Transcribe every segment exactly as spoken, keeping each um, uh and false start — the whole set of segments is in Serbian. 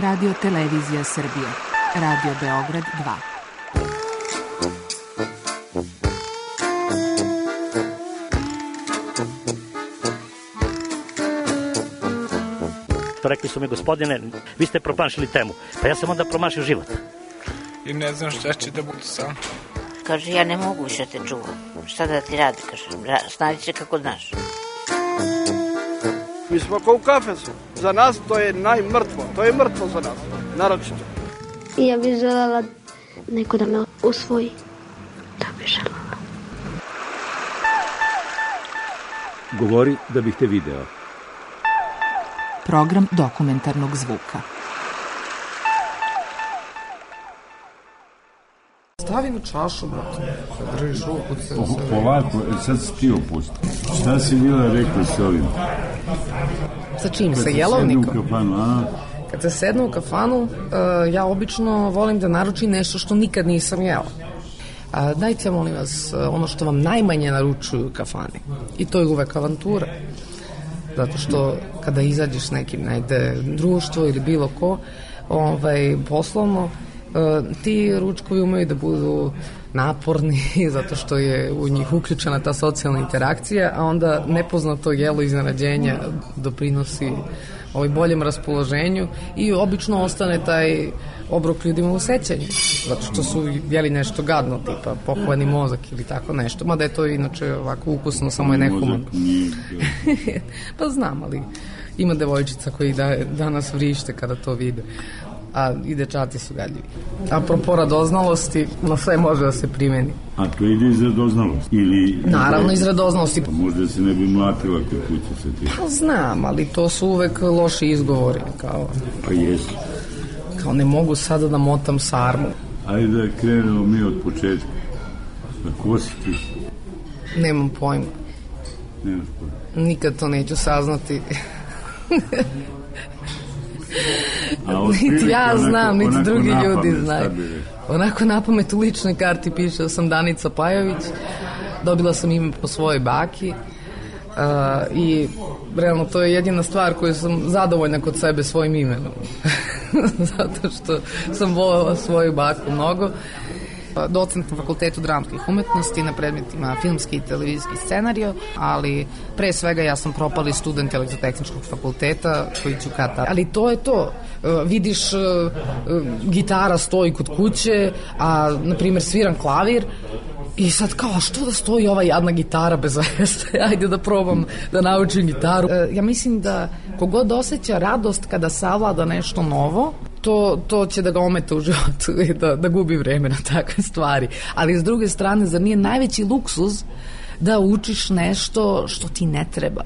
Radio Televizija Srbije, Radio Beograd dva. Rekli su mi, gospodine, vi ste promašili temu. Pa ja sam onda promašio život. I ne znam šta će da bude sam. Kaže, ja ne mogu više te čuvam. Šta da ti radi, kaže, snađi se kako znaš. Mi smo kao u kafesu. Za nas to je najmrtvo. To je mrtvo za nas, naročito. I ja bih želela neko da me usvoji. Da bih želela. Govori da bih te video. Program dokumentarnog zvuka. Stavi na čašu, brate. Držiš ruku. Ovako, sad si ti opusti. Šta si bila rekla s ovim? Sa čim? Sa jelovnikom? Kad se sednu u kafanu, a? Kad se sednu u kafanu, uh, ja obično volim da naručim nešto što nikad nisam jela. Uh, dajte, molim vas, uh, ono što vam najmanje naručuju u kafani. I to je uvek avantura. Zato što kada izađeš s nekim, najde društvo ili bilo ko, ovaj, poslovno, ti ručkovi umeju da budu naporni zato što je u njih uključena ta socijalna interakcija, a onda nepoznato jelo iznenađenja doprinosi ovaj boljem raspoloženju i obično ostane taj obrok ljudima u sećanju, zato što su jeli nešto gadno, tipa pokvani mozak ili tako nešto, mada je to inače ovako ukusno, samo je nehumano. Pa znam, ali ima devojčica koji da, danas vrište kada to vide, a i dečaci su gadljivi. Apropo radoznalosti, na sve može da se primeni. A to ide iz radoznalosti? Ili... Naravno iz radoznalosti. Pa možda se ne bi mlatila kod kuće sa ti. Pa znam, ali to su uvek loši izgovori. Kao, pa jesu. Kao ne mogu sada da motam sarmu. Ajde da krenemo mi od početka. Na ko si ti? Nemam pojma. Nemaš pojma. Nikad to neću saznati. Niti ja znam, niti drugi ljudi znaju. Onako napamet u ličnoj karti piše da sam Danica Pajović, dobila sam ime po svojoj baki uh, i realno to je jedina stvar koju sam zadovoljna kod sebe svojim imenom. Zato što sam voljela svoju baku mnogo. Docent na Fakultetu dramskih umetnosti na predmetima filmski i televizijski scenario, ali pre svega ja sam propali student Elektrotehničkog fakulteta koji ću kata. Ali to je to. Vidiš, gitara stoji kod kuće, a na primjer sviram klavir i sad kao, što da stoji ova jadna gitara bez veze? Ajde da probam da naučim gitaru. Ja mislim da kogod osjeća radost kada savlada nešto novo, To, to će da ga ometa u životu i da, da gubi vreme na takve stvari. Ali s druge strane, zar nije najveći luksuz da učiš nešto što ti ne treba?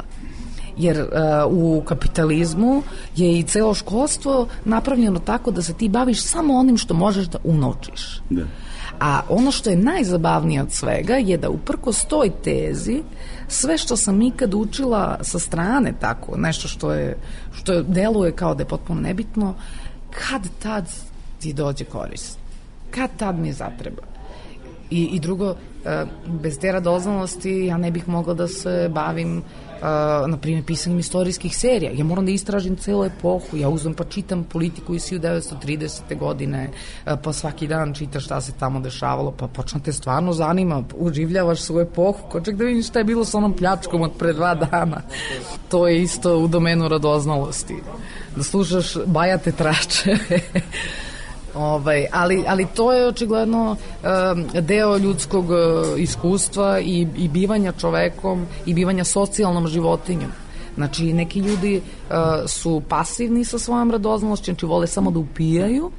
Jer uh, u kapitalizmu je i celo školstvo napravljeno tako da se ti baviš samo onim što možeš da unovčiš. Da. A ono što je najzabavnije od svega je da uprkos toj tezi sve što sam ikad učila sa strane, tako nešto što je, što deluje kao da je potpuno nebitno, kad tad ti dođe korist, kad tad mi zatreba. I, i drugo, bez te radoznalosti ja ne bih mogla da se bavim na primjer pisanjem istorijskih serija. Ja moram da istražim celu epohu, ja uzmem pa čitam politiku iz hiljadu devetsto tridesete godine, pa svaki dan čitaš šta se tamo dešavalo, pa počne te stvarno zanima, uživljavaš svoju epohu, ko ček da vidiš šta je bilo sa onom pljačkom od pre dva dana. To je isto u domenu radoznalosti, da slušaš bajate tračeve. Ovaj, ali, ali to je očigledno um, deo ljudskog uh, iskustva i, i bivanja čovekom i bivanja socijalnom životinjom. Znači, neki ljudi uh, su pasivni sa svojom radoznalošću, znači vole samo da upijaju,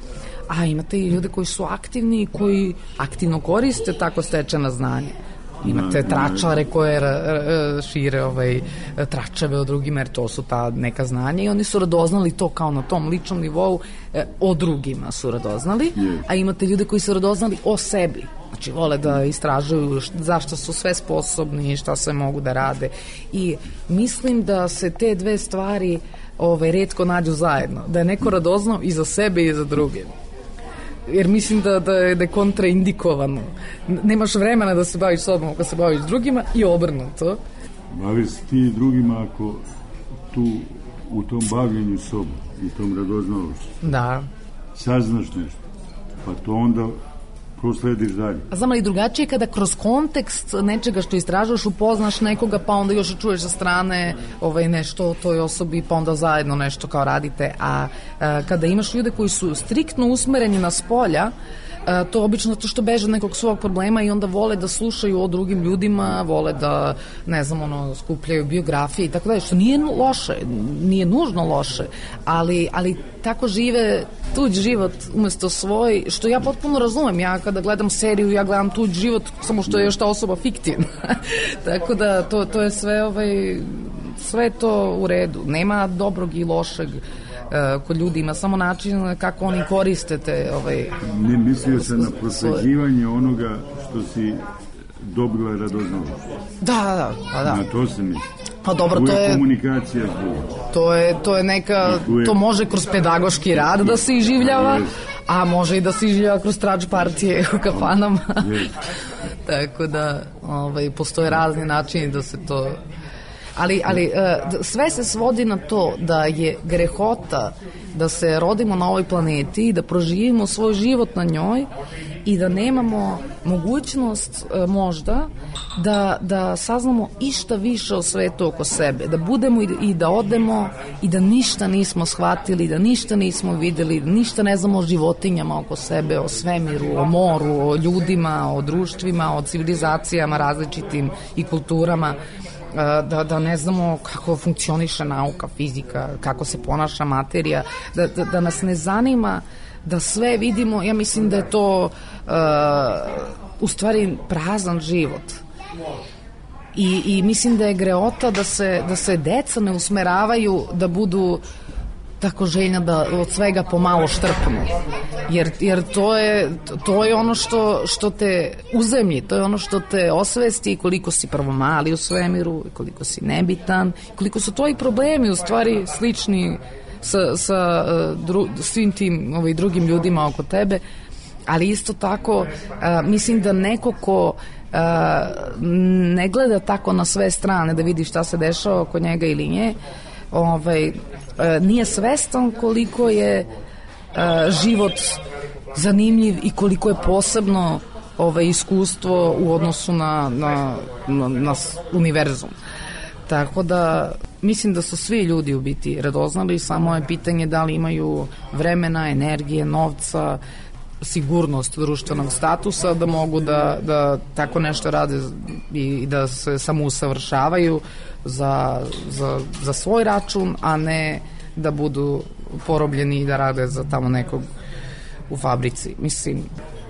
a imate i ljude koji su aktivni i koji aktivno koriste tako stečena znanja. Imate tračare koje šire ovaj, tračeve o drugima, jer to su ta neka znanja i oni su radoznali to kao na tom ličnom nivou, o drugima su radoznali, a imate ljude koji su radoznali o sebi. Znači, vole da istražuju zašto su sve sposobni i šta sve mogu da rade. I mislim da se te dve stvari ovaj, retko nađu zajedno. Da je neko radoznao i za sebe i za druge. Jer mislim da, da, je, da je kontraindikovano. Nemaš vremena da se baviš sobom ako se baviš drugima i obrnuto. Baviš ti drugima ako tu, u tom bavljenju sobom i tom radoznalošću. Da. Saznaš nešto, pa to onda proslediš dalje. A znam li drugačije kada kroz kontekst nečega što istražuješ upoznaš nekoga, pa onda još čuješ sa strane ovaj, nešto o toj osobi, pa onda zajedno nešto kao radite, a, a kada imaš ljude koji su striktno usmereni na spolja, a, to obično zato što beže nekog svog problema i onda vole da slušaju o drugim ljudima, vole da, ne znam, ono, skupljaju biografije i tako dalje, što nije loše, nije nužno loše, ali, ali tako žive tuđ život umesto svoj, što ja potpuno razumem. Ja kada gledam seriju, ja gledam tuđ život, samo što je još ta osoba fiktivna. Tako da to, to je sve, ovaj, sve to u redu. Nema dobrog i lošeg uh, kod ljudi, ima samo način kako oni koriste te... Ovaj, ne mislio sam na prosveđivanje onoga što si dobila radoznalošću. Da, da, da. da. Na to se misli. Pa dobro, to je komunikacija zbog. To je to je neka to može kroz pedagoški rad da se iživljava, a može i da se iživljava kroz trač partije u kafanama. Tako da, ovaj, postoje razni načini da se to... Ali, ali sve se svodi na to da je grehota da se rodimo na ovoj planeti i da proživimo svoj život na njoj i da nemamo mogućnost možda da, da saznamo išta više o svetu oko sebe, da budemo i, i da odemo i da ništa nismo shvatili, da ništa nismo videli, da ništa ne znamo o životinjama oko sebe, o svemiru, o moru, o ljudima, o društvima, o civilizacijama različitim i kulturama. Da, da ne znamo kako funkcioniše nauka, fizika, kako se ponaša materija, da, da, da nas ne zanima da sve vidimo. Ja mislim da je to uh, u stvari prazan život. I, i mislim da je greota da se, da se deca ne usmeravaju da budu tako željna da od svega pomalo štrpnu. Jer, jer to, je, to je ono što, što te uzemlji, to je ono što te osvesti koliko si prvo mali u svemiru, koliko si nebitan, koliko su tvoji problemi u stvari slični sa, sa dru, svim tim ovaj, drugim ljudima oko tebe, ali isto tako a, mislim da neko ko a, ne gleda tako na sve strane da vidi šta se dešava oko njega ili nje, ovaj, nije svestan koliko je život zanimljiv i koliko je posebno ovaj, iskustvo u odnosu na, na, na, na univerzum. Tako da mislim da su svi ljudi u biti radoznali, samo je pitanje da li imaju vremena, energije, novca, sigurnost društvenog statusa da mogu da, da tako nešto rade i da se samo usavršavaju za, za, za svoj račun, a ne da budu porobljeni i da rade za tamo nekog u fabrici. Mislim,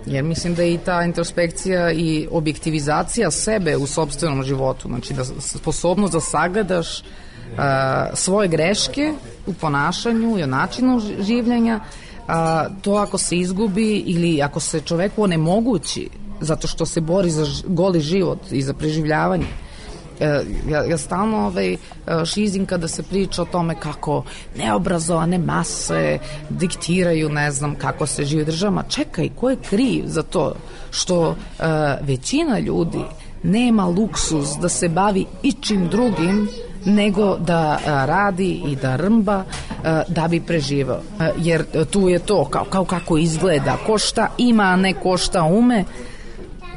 jer mislim da je i ta introspekcija i objektivizacija sebe u sopstvenom životu, znači da sposobnost da sagledaš uh, svoje greške u ponašanju i o načinu življenja, a, to ako se izgubi ili ako se čoveku onemogući zato što se bori za goli život i za preživljavanje. E, ja, ja stalno ovaj, šizim kada se priča o tome kako neobrazovane mase diktiraju, ne znam, kako se živi državama. Čekaj, ko je kriv za to što e, većina ljudi nema luksuz da se bavi ičim drugim nego da a, radi i da rmba a, da bi preživao. A, jer tu je to kao, kao kako izgleda, ko šta ima, a ne ko šta ume.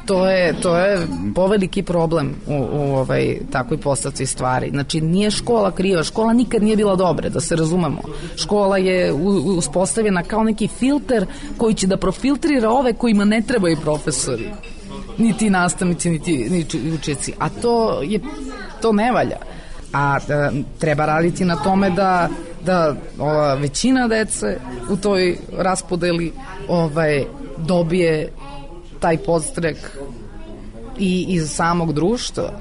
To je, to je poveliki problem u, u ovaj, takvoj postavci stvari. Znači, nije škola kriva, škola nikad nije bila dobra, da se razumemo. Škola je u, uspostavljena kao neki filter koji će da profiltrira ove kojima ne trebaju profesori, niti nastavnici, niti, niti učenici. A to je, to ne valja. A e, treba raditi na tome da, da ova većina dece u toj raspodeli ovaj, dobije taj podstrek i iz samog društva.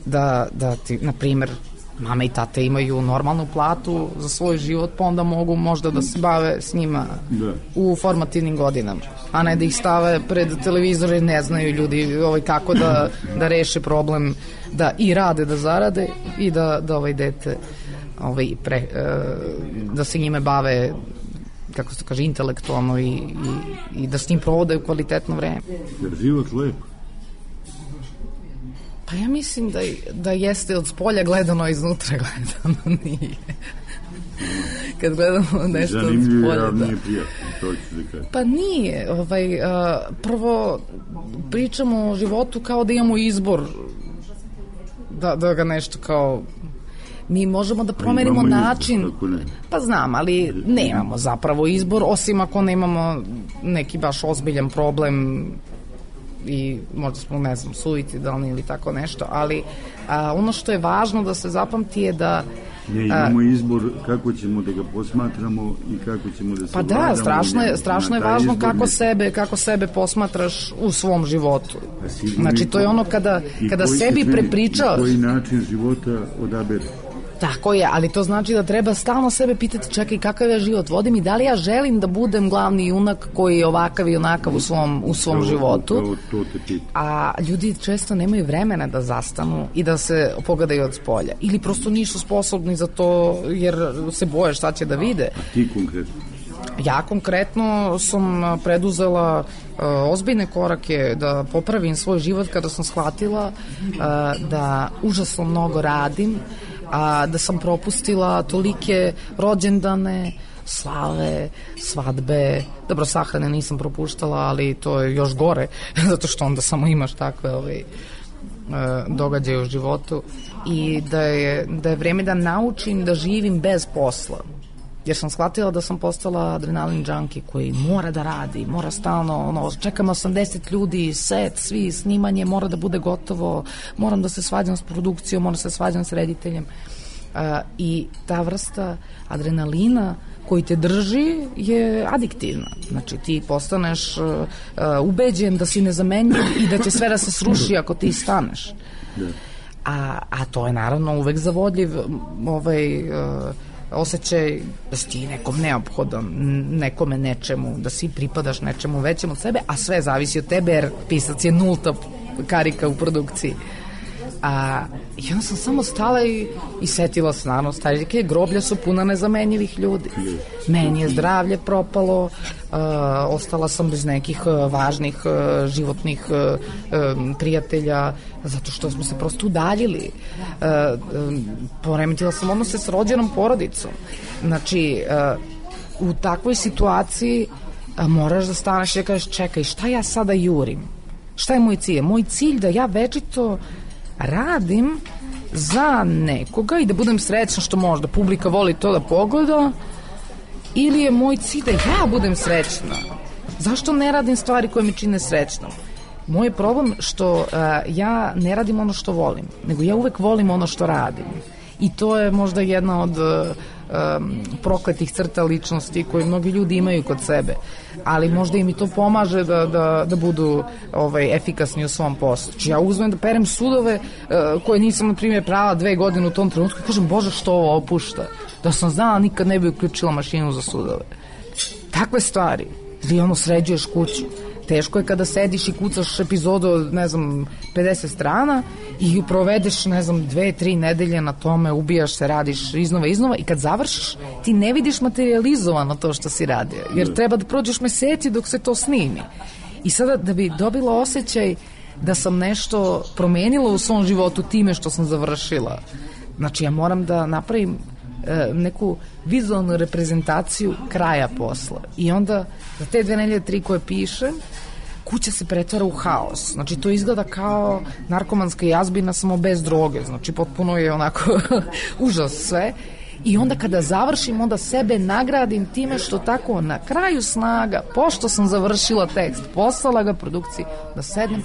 Da, da ti, na primjer, mame i tate imaju normalnu platu za svoj život, pa onda mogu možda da se bave s njima da. U formativnim godinama, a ne da ih stave pred televizor i ne znaju ljudi ovaj, kako da, da reše problem, da i rade, da zarade i da, da ovaj dete ovaj, pre, da se njime bave, kako se kaže, intelektualno i, i, i da s njim provode kvalitetno vreme. Jer život lep. Pa ja mislim da, da jeste od spolja gledano, a iznutra gledano nije. Kad gledamo nešto od spolja. Zanimljivo, nije prijatno, to ću da kažem. Pa nije. Ovaj, uh, prvo, pričamo o životu kao da imamo izbor da, da ga nešto kao... Mi možemo da promenimo izbor, način, pa znam, ali nemamo zapravo izbor, osim ako nemamo neki baš ozbiljan problem i možda smo, ne znam, suicidalni ili tako nešto, ali a, ono što je važno da se zapamti je da ne, imamo izbor kako ćemo da ga posmatramo i kako ćemo da se pa da, strašno je, strašno je važno kako ne... sebe, kako sebe posmatraš u svom životu. Znači to je ono kada, kada sebi prepričaš koji način života odabere. Tako je, ali to znači da treba stalno sebe pitati, čekaj, kakav ja život vodim i da li ja želim da budem glavni junak koji je ovakav i onakav u svom, u svom to, životu. To, to te pita. A ljudi često nemaju vremena da zastanu i da se pogledaju od spolja. Ili prosto nisu sposobni za to jer se boje šta će da vide. A ti konkretno? Ja konkretno sam preduzela uh, ozbiljne korake da popravim svoj život kada sam shvatila uh, da užasno mnogo radim, a da sam propustila tolike rođendane, slave, svadbe. Dobro, sahrane nisam propuštala, ali to je još gore, zato što onda samo imaš takve ovaj, događaje u životu. I da je, da je vreme da naučim da živim bez posla. Jer sam shvatila da sam postala adrenalin junkie koji mora da radi, mora stalno, ono, čekam osamdeset ljudi, set, svi, snimanje, mora da bude gotovo, moram da se svađam s produkcijom, moram da se svađam s rediteljem. Uh, I ta vrsta adrenalina koji te drži je adiktivna. Znači ti postaneš uh, uh, ubeđen da si nezamenljiv i da će sve da se sruši ako ti staneš. A, a to je naravno uvek zavodljiv ovaj... Uh, osjećaj da si ti nekom neophodan, nekome nečemu, da si pripadaš nečemu većem od sebe, a sve zavisi od tebe jer pisac je nulta karika u produkciji. A, I onda sam samo stala i, i setila se, naravno, starike, groblja su puna nezamenjivih ljudi. Meni je zdravlje propalo, uh, ostala sam bez nekih uh, važnih uh, životnih uh, um, prijatelja, zato što smo se prosto udaljili. Uh, um, poremetila sam odnose s rođenom porodicom. Znači, uh, u takvoj situaciji uh, moraš da staneš i da kažeš, čekaj, šta ja sada jurim? Šta je moj cilj? Moj cilj da ja večito radim za nekoga i da budem srećna što možda publika voli to da pogleda, ili je moj cilj da ja budem srećna? Zašto ne radim stvari koje me čine srećnom? Moj problem što uh, ja ne radim ono što volim, nego ja uvek volim ono što radim. I to je možda jedna od uh, um, prokletih crta ličnosti koje mnogi ljudi imaju kod sebe, ali možda im i to pomaže da, da, da budu ovaj, efikasni u svom poslu. Či ja uzmem da perem sudove uh, koje nisam, na primjer, prava dve godine u tom trenutku i kažem, Bože, što ovo opušta? Da sam znala, nikad ne bi uključila mašinu za sudove. Takve stvari. Ili ono, sređuješ kuću. Teško je kada sediš i kucaš epizodu od, ne znam, pedeset strana i provedeš, ne znam, dve, tri nedelje na tome, ubijaš se, radiš iznova, iznova i kad završiš, ti ne vidiš materializovano to što si radio, jer treba da prođeš meseci dok se to snimi. I sada da bi dobila osjećaj da sam nešto promenila u svom životu time što sam završila, znači ja moram da napravim e, neku vizualnu reprezentaciju kraja posla. I onda za te dve nedelje, tri koje pišem, kuća se pretvara u haos. Znači to izgleda kao narkomanska jazbina samo bez droge. Znači potpuno je onako užas sve. I onda kada završim, onda sebe nagradim time što tako na kraju snaga, pošto sam završila tekst, poslala ga produkciji, da sednem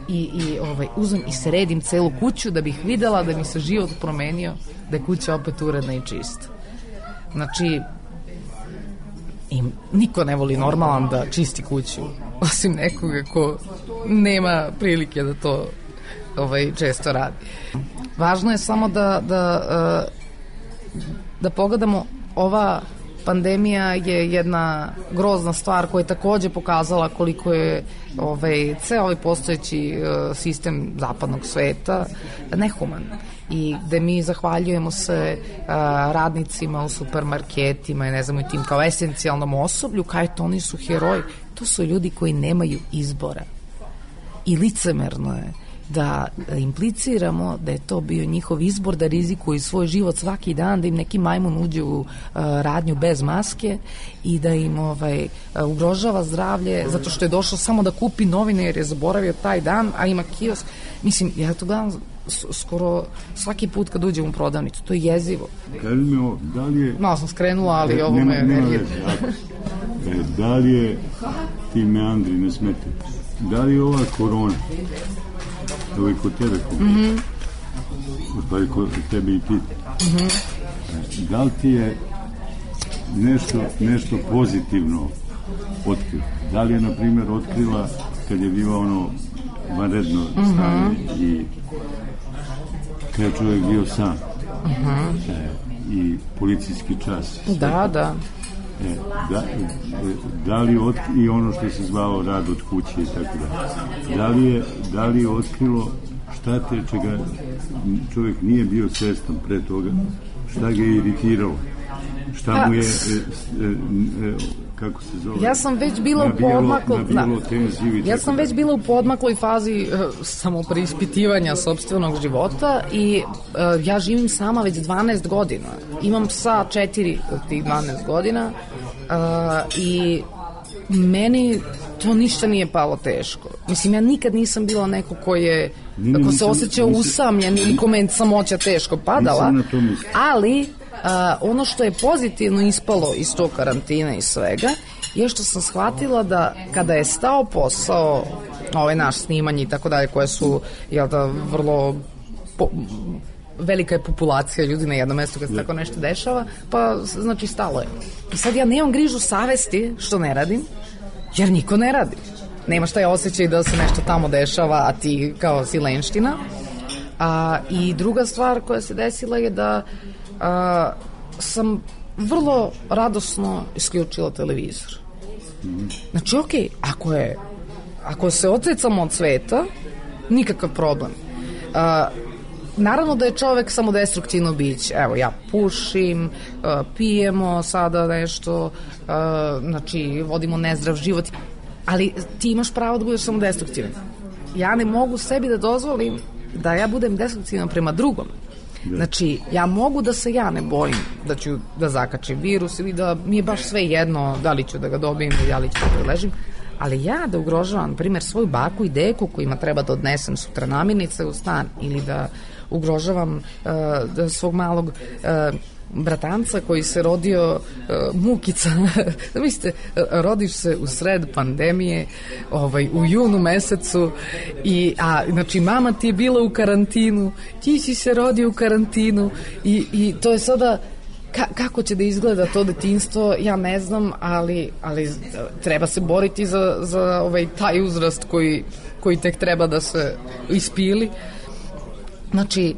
i, i ovaj, uzmem i sredim celu kuću da bih videla da mi se život promenio, da je kuća opet uredna i čista. Znači, i niko ne voli normalan da čisti kuću, osim nekoga ko nema prilike da to ovaj, često radi. Važno je samo da, da, da pogledamo, ova pandemija je jedna grozna stvar koja je takođe pokazala koliko je ovaj, ceo ovaj postojeći sistem zapadnog sveta nehuman. I gde mi zahvaljujemo se uh, radnicima u supermarketima i ne znam i tim kao esencijalnom osoblju, kao to oni su heroji. To su ljudi koji nemaju izbora. I licemerno je da impliciramo da je to bio njihov izbor da rizikuju svoj život svaki dan, da im neki majmun uđe u uh, radnju bez maske i da im ovaj, uh, ugrožava zdravlje zato što je došao samo da kupi novine jer je zaboravio taj dan, a ima kiosk. Mislim, ja to gledam skoro svaki put kad uđem u prodavnicu, to je jezivo. Kaži mi ovo, da li je... Malo sam skrenula, ali e, ovo nema, me... Nema veze, e, da li je ti meandri, ne smete, da li je ova korona, ovo je kod tebe, mm-hmm. pa je kod tebe i ti, mm-hmm. da li ti je nešto, nešto pozitivno otkrila? Da li je, na primjer, otkrila kad je bilo ono vanredno stanje mm-hmm. i kad je čovjek bio sam mm-hmm. e, i policijski čas. Da, da. E, da, e, da li od, i ono što se zvalo rad od kuće i tako da. Da li je, da li je otkrilo šta te čega čovjek nije bio svestan pre toga, šta ga je iritiralo, šta mu je e, e, e, kako se zove? Ja sam već bila nabijalo, u podmaklu, da. Ja sam već bila u podmakloj fazi uh, samopreispitivanja sopstvenog života i uh, ja živim sama već dvanaest godina. Imam psa četiri od tih dvanaest godina uh, i meni to ništa nije palo teško. Mislim, ja nikad nisam bila neko ko je, nije, ko se osjećao usamljen ili kome samoća teško padala, ali Uh, ono što je pozitivno ispalo iz tog karantina i svega je što sam shvatila da kada je stao posao, ovaj naš snimanje i tako dalje, koje su, jel da, vrlo po, velika je populacija ljudi na jednom mestu kad se tako nešto dešava, pa znači stalo je. I sad ja nemam grižu savesti što ne radim, jer niko ne radi. Nemaš taj osjećaj da se nešto tamo dešava, a ti kao si lenština. A, I druga stvar koja se desila je da a, sam vrlo radosno isključila televizor. Znači, ok, ako je ako se odrecamo od sveta, nikakav problem. A, naravno da je čovek samo destruktivno biće. Evo, ja pušim, a, pijemo sada nešto, a, znači, vodimo nezdrav život, ali ti imaš pravo da budeš samo destruktivan. Ja ne mogu sebi da dozvolim da ja budem destruktivan prema drugom. Znači, ja mogu da se ja ne bojim da ću da zakačim virus ili da mi je baš sve jedno da li ću da ga dobijem ili da li ću da preležim, ali ja da ugrožavam, na primjer, svoju baku i deku kojima treba da odnesem sutra namirnice u stan ili da ugrožavam uh, da svog malog uh, bratanca koji se rodio uh, mukica, da mislite, rodiš se u sred pandemije, ovaj, u junu mesecu i, a, znači, mama ti je bila u karantinu, ti si se rodio u karantinu i, i to je sada, ka, kako će da izgleda to detinjstvo, ja ne znam, ali, ali treba se boriti za, za ovaj, taj uzrast koji, koji tek treba da se ispili. Znači,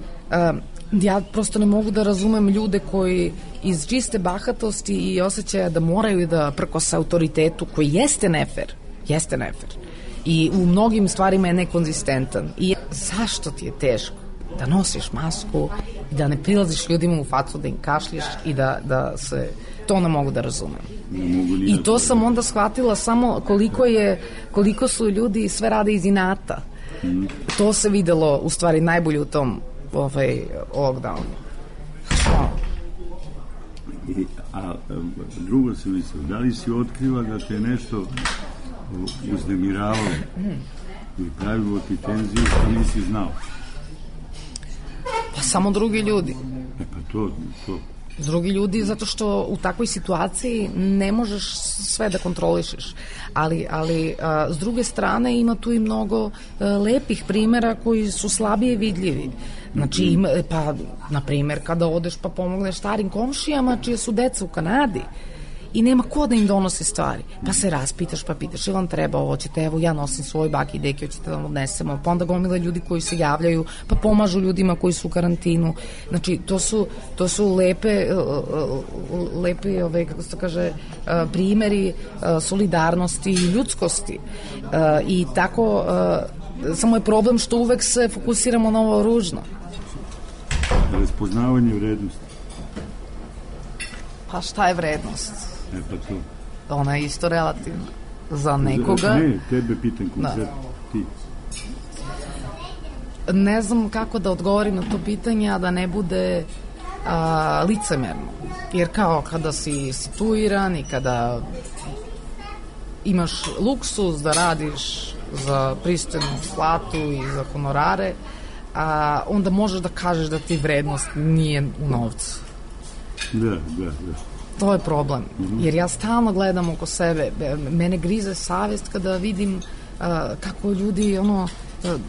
um, ja prosto ne mogu da razumem ljude koji iz čiste bahatosti i osjećaja da moraju da prkose autoritetu koji jeste nefer, jeste nefer i u mnogim stvarima je nekonzistentan. I zašto ti je teško da nosiš masku i da ne prilaziš ljudima u facu, da im kašlješ i da, da se... To ne mogu da razumem. I to sam onda shvatila samo koliko je, koliko su ljudi sve rade iz inata. To se videlo u stvari najbolje u tom ovaj lockdownu. I, a drugo se mislio, da li si otkriva da te nešto uznemiravalo ili pravilo ti tenziju što nisi znao? Pa samo drugi ljudi. E pa to, to. Drugi ljudi, zato što u takvoj situaciji ne možeš sve da kontrolišeš. Ali, ali a, s druge strane ima tu i mnogo a, lepih primjera koji su slabije vidljivi. Znači, ima, pa, na primjer, kada odeš pa pomogneš starim komšijama čije su deca u Kanadi i nema ko da im donosi stvari. Pa se raspitaš, pa pitaš, ili vam treba ovo, ćete, evo, ja nosim svoj baki i deki, hoćete da vam odnesemo, pa onda gomila ljudi koji se javljaju, pa pomažu ljudima koji su u karantinu. Znači, to su, to su lepe, lepe, ove, kako se to kaže, primeri solidarnosti i ljudskosti. I tako, samo je problem što uvek se fokusiramo na ovo ružno. Raspoznavanje vrednosti. Pa šta je vrednost? E pa to. Ona je isto relativna. Za nekoga... Ne, tebe pitam konkretno. Ti. ne znam kako da odgovorim na to pitanje, a da ne bude a, licemerno. Jer kao kada si situiran i kada imaš luksuz da radiš za pristojnu platu i za honorare, a, onda možeš da kažeš da ti vrednost nije u novcu. Da, da, da. To je problem, jer ja stalno gledam oko sebe, mene grize savjest kada vidim uh, kako ljudi ono,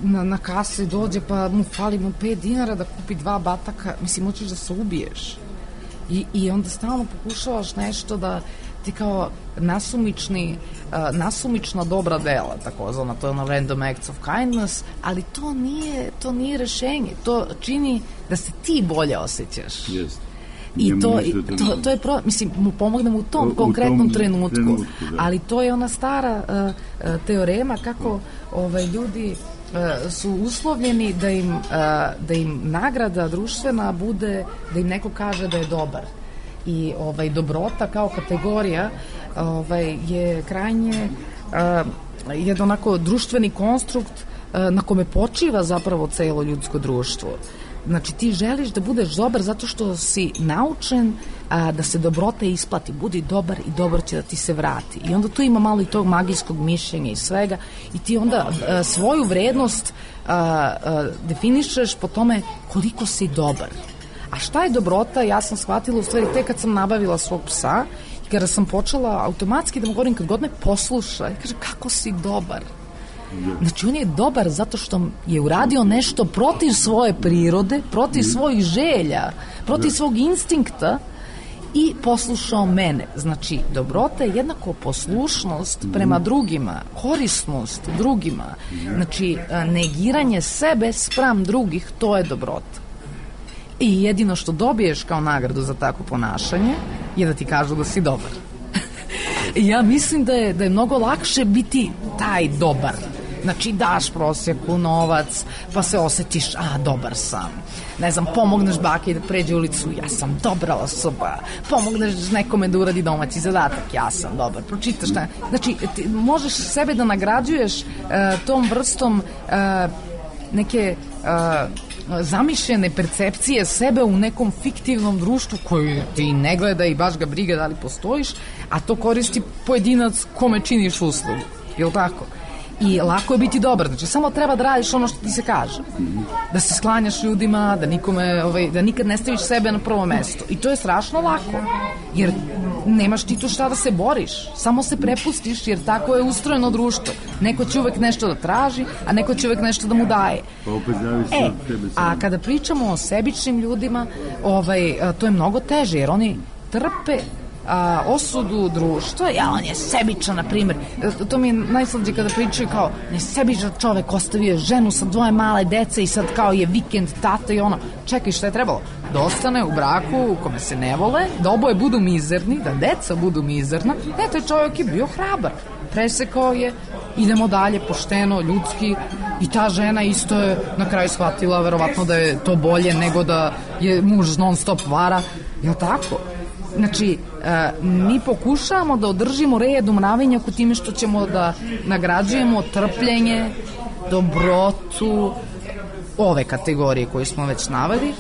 na, na kasi dođe pa mu fali mu pet dinara da kupi dva bataka, mislim, hoćeš da se ubiješ. I, i onda stalno pokušavaš nešto da ti kao nasumični, uh, nasumična dobra dela, takozvana, to je ono random acts of kindness, ali to nije, to nije rešenje, to čini da se ti bolje osjećaš. Jeste. I to, to, to je pro, mislim, mu pomognemo u tom u, konkretnom u tom trenutku, trenutku ali to je ona stara uh, uh, teorema kako ovaj, ljudi uh, su uslovljeni da im, uh, da im nagrada društvena bude, da im neko kaže da je dobar. I ovaj, dobrota kao kategorija ovaj, je krajnje uh, jedan onako društveni konstrukt uh, na kome počiva zapravo celo ljudsko društvo. Znači ti želiš da budeš dobar zato što si naučen a, da se dobrota isplati, budi dobar i dobro će da ti se vrati. I onda tu ima malo i tog magijskog mišljenja i svega i ti onda a, svoju vrednost a, a, definišeš po tome koliko si dobar. A šta je dobrota, ja sam shvatila u stvari tek kad sam nabavila svog psa i kada sam počela automatski da mu govorim kad god me posluša i kaže kako si dobar. Znači on je dobar zato što je uradio nešto protiv svoje prirode, protiv svojih želja, protiv svog instinkta i poslušao mene. Znači dobrota je jednako poslušnost prema drugima, korisnost drugima. Znači negiranje sebe spram drugih, to je dobrota. I jedino što dobiješ kao nagradu za takvo ponašanje je da ti kažu da si dobar. Ja mislim da je, da je mnogo lakše biti taj dobar. Znači daš prosjeku novac, pa se osjetiš, a dobar sam. Ne znam, pomogneš baki da pređe ulicu, ja sam dobra osoba. Pomogneš nekome da uradi domaći zadatak, ja sam dobar. Pročitaš šta. Znači, ti možeš sebe da nagrađuješ uh, tom vrstom uh, neke uh, zamišljene percepcije sebe u nekom fiktivnom društvu koji ti ne gleda i baš ga briga da li postojiš, a to koristi pojedinac kome činiš uslugu. Je li tako? I lako je biti dobar, znači samo treba da radiš ono što ti se kaže, da se sklanjaš ljudima, da nikome, ovaj, da nikad ne staviš sebe na prvo mesto. I to je strašno lako, jer nemaš ti tu šta da se boriš, samo se prepustiš, jer tako je ustrojeno društvo. Neko će uvek nešto da traži, a neko će uvek nešto da mu daje. Pa opet zavisi e, od tebe. A kada pričamo o sebičnim ljudima, ovaj, to je mnogo teže, jer oni trpe A, osudu društva, ja, on je sebičan, na primjer, to mi je najslađe kada pričaju kao, ne sebičan čovek, ostavio ženu sa dvoje male dece i sad kao je vikend, tata i ono, čekaj, šta je trebalo? Da ostane u braku u kome se ne vole, da oboje budu mizerni, da deca budu mizerna, ne, taj čovjek je bio hrabar, presekao je, idemo dalje, pošteno, ljudski, i ta žena isto je na kraju shvatila verovatno da je to bolje nego da je muž non stop vara, je li tako? Znači, e, mi pokušavamo da održimo red u mravenjaku time što ćemo da nagrađujemo trpljenje, dobrotu, ove kategorije koje smo već naveli,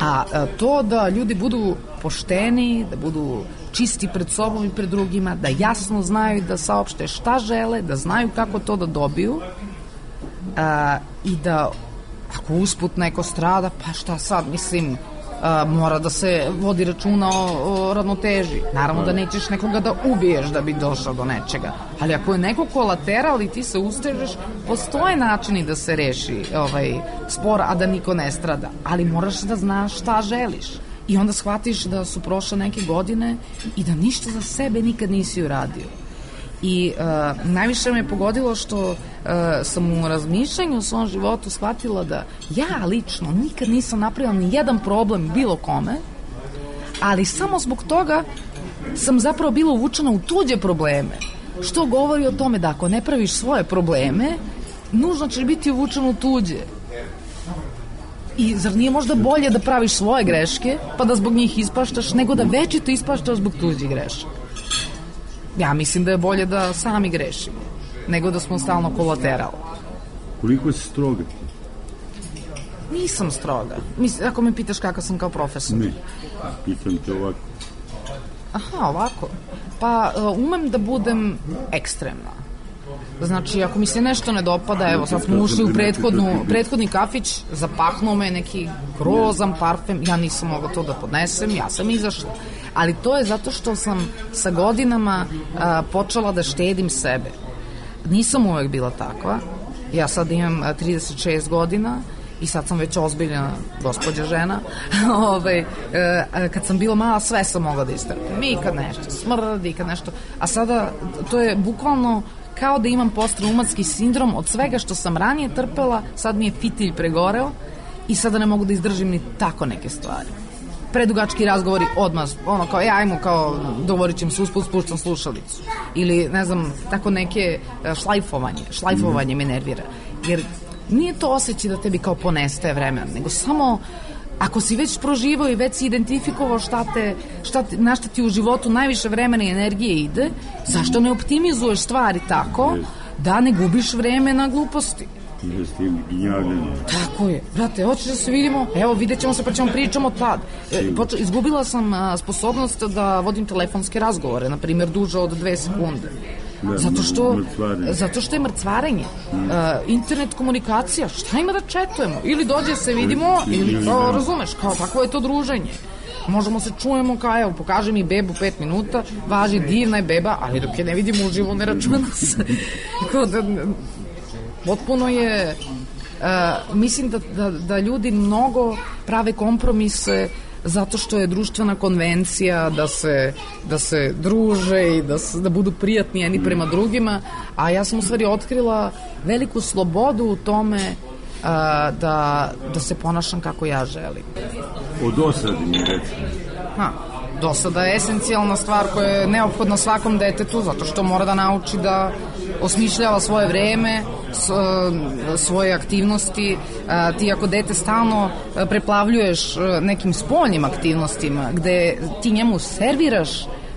a e, to da ljudi budu pošteni, da budu čisti pred sobom i pred drugima, da jasno znaju da saopšte šta žele, da znaju kako to da dobiju, e, i da ako usput neko strada, pa šta sad, mislim, Uh, mora da se vodi računa o, o ravnoteži. Naravno da nećeš nekoga da ubiješ da bi došao do nečega, ali ako je neko kolateral i ti se ustežeš, postoje načini da se reši ovaj spor, a da niko ne strada, ali moraš da znaš šta želiš i onda shvatiš da su prošle neke godine i da ništa za sebe nikad nisi uradio. I uh, najviše me pogodilo što uh, sam u razmišljanju u svom životu shvatila da ja lično nikad nisam napravila ni jedan problem bilo kome, ali samo zbog toga sam zapravo bila uvučena u tuđe probleme, što govori o tome da ako ne praviš svoje probleme, nužno ćeš biti uvučen u tuđe. I zar nije možda bolje da praviš svoje greške pa da zbog njih ispaštaš nego da večito ispaštaš zbog tuđih grešaka? Ja mislim da je bolje da sami grešimo, nego da smo stalno kolateral. Koliko si stroga ti? Nisam stroga. Mislim, ako me pitaš kakav sam kao profesor. Ne, pitam te ovako. Aha, ovako. Pa umem da budem ekstremna. Znači, ako mi se nešto ne dopada, evo, sad smo ušli u prethodnu, prethodni kafić, zapahnuo me neki grozan parfem, ja nisam mogla to da podnesem, ja sam izašla. Ali to je zato što sam sa godinama a, počela da štedim sebe. Nisam uvek bila takva. Ja sad imam trideset šest godina i sad sam već ozbiljna gospođa žena. Ove, e, kad sam bila mala, sve sam mogla da istrpim. I kad nešto smrdi, i kad nešto... A sada, to je bukvalno kao da imam postraumatski sindrom od svega što sam ranije trpela, sad mi je fitilj pregoreo i sada ne mogu da izdržim ni tako neke stvari. Predugački razgovori odmah, ono kao, e, ajmo, kao, dogovorit ćemo se usput, spuštam slušalicu. Ili, ne znam, tako neke šlajfovanje, šlajfovanje me nervira. Jer nije to osjećaj da tebi kao ponestaje vremena, nego samo ako si već proživao i već si identifikovao šta te, šta te, na šta ti u životu najviše vremena i energije ide, zašto ne optimizuješ stvari tako da ne gubiš vreme na gluposti? Jeste gnjavljanje. Tako je. Brate, hoćeš da se vidimo? Evo, vidjet ćemo se pa ćemo pričamo tad. E, poču, izgubila sam a, sposobnost da vodim telefonske razgovore, na primjer, duže od dve sekunde. Da, zato što mrcvarenje. Zato što je mrcvarenje. Mm. Uh, internet komunikacija, šta ima da četujemo? Ili dođe se vidimo, ili, ili kao, razumeš, kao takvo je to druženje. Možemo se čujemo kao, evo, pokaži mi bebu pet minuta, važi, divna je beba, ali dok je ne vidimo uživo, ne računa se. Kao da, potpuno je, uh, mislim da, da, da ljudi mnogo prave kompromise zato što je društvena konvencija da se, da se druže i da, se, da budu prijatni jedni prema drugima, a ja sam u stvari otkrila veliku slobodu u tome a, da, da se ponašam kako ja želim. O dosadi mi reći. Ha, dosada je esencijalna stvar koja je neophodna svakom detetu, zato što mora da nauči da osmišljava svoje vreme, svoje aktivnosti. Ti ako dete stalno preplavljuješ nekim spoljnim aktivnostima gde ti njemu serviraš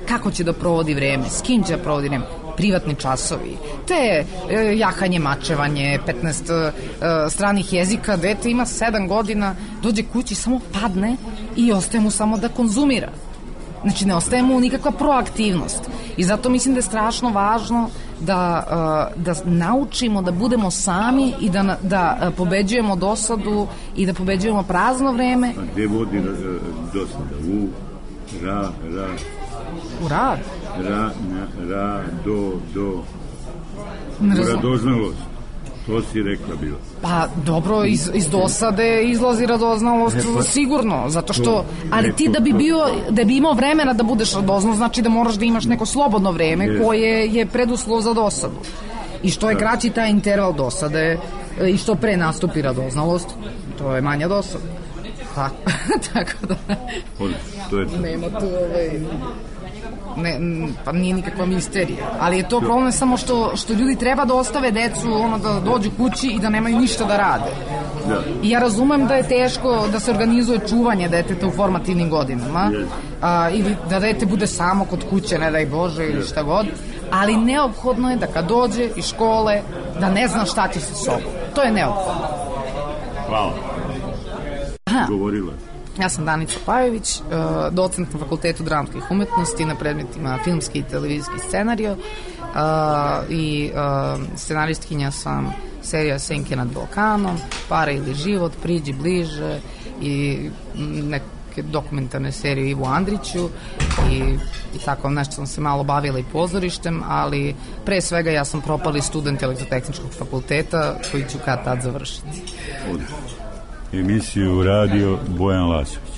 kako će da provodi vreme, s kim će da provodi vreme, privatni časovi, te jahanje, mačevanje, petnaest stranih jezika, dete ima sedam godina, dođe kući, samo padne i ostaje mu samo da konzumira. Znači, ne ostaje mu nikakva proaktivnost. I zato mislim da je strašno važno da, da naučimo da budemo sami i da, da pobeđujemo dosadu i da pobeđujemo prazno vreme. A gde vodi dosada? U, ra, ra. U rad? Ra, na, ra, do, do. U radoznalost. To si rekla bilo. Pa dobro, iz, iz dosade izlazi radoznalost, pa, sigurno, zato što, to, ali ti da bi bio, da bi imao vremena da budeš radozno, znači da moraš da imaš neko slobodno vreme je. koje je preduslov za dosadu. I što je kraći taj interval dosade i što pre nastupi radoznalost, to je manja dosada. Pa, tako da... To je to. Nema tu ovaj... Ne, pa nije nikakva misterija, ali je to problem samo što, što ljudi treba da ostave decu, ono, da dođu kući i da nemaju ništa da rade. Da. I ja razumem da je teško da se organizuje čuvanje deteta u formativnim godinama, a, ili da dete bude samo kod kuće, ne daj Bože, ili šta god, ali neophodno je da kad dođe iz škole da ne zna šta će sa sobom. To je neophodno. Hvala. Aha. Govorila. Ja sam Danica Pajović, docent na Fakultetu dramskih umetnosti na predmetima filmski i televizijski scenario i scenaristkinja sam serija Senke nad Balkanom, Para ili život, Priđi bliže i neke dokumentarne serije Ivu Andriću i, i tako nešto sam se malo bavila i pozorištem, ali pre svega ja sam propali student Elektrotehničkog fakulteta koji ću kad tad završiti. Emisiju radio Bojan Lasović.